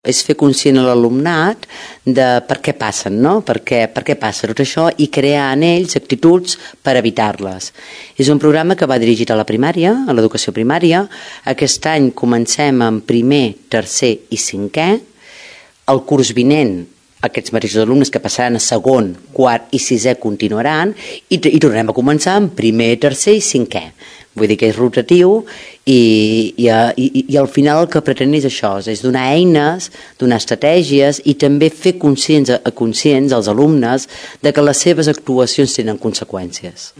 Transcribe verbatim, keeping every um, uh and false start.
És fer conscient a l'alumnat de per què passen, no? Per què, per què passa tot això i crear en ells actituds per evitar-les. És un programa que va dirigit a la primària, a l'educació primària. Aquest any comencem en primer, tercer i cinquè. El curs vinent, aquests mateixos alumnes que passaran a segon, quart i sisè continuaran i, i tornarem a començar en primer, tercer i cinquè. Vull dir que és rotatiu i, i, i, i al final el que pretén és això, és donar eines, donar estratègies i també fer conscients, conscients als alumnes de que les seves actuacions tenen conseqüències.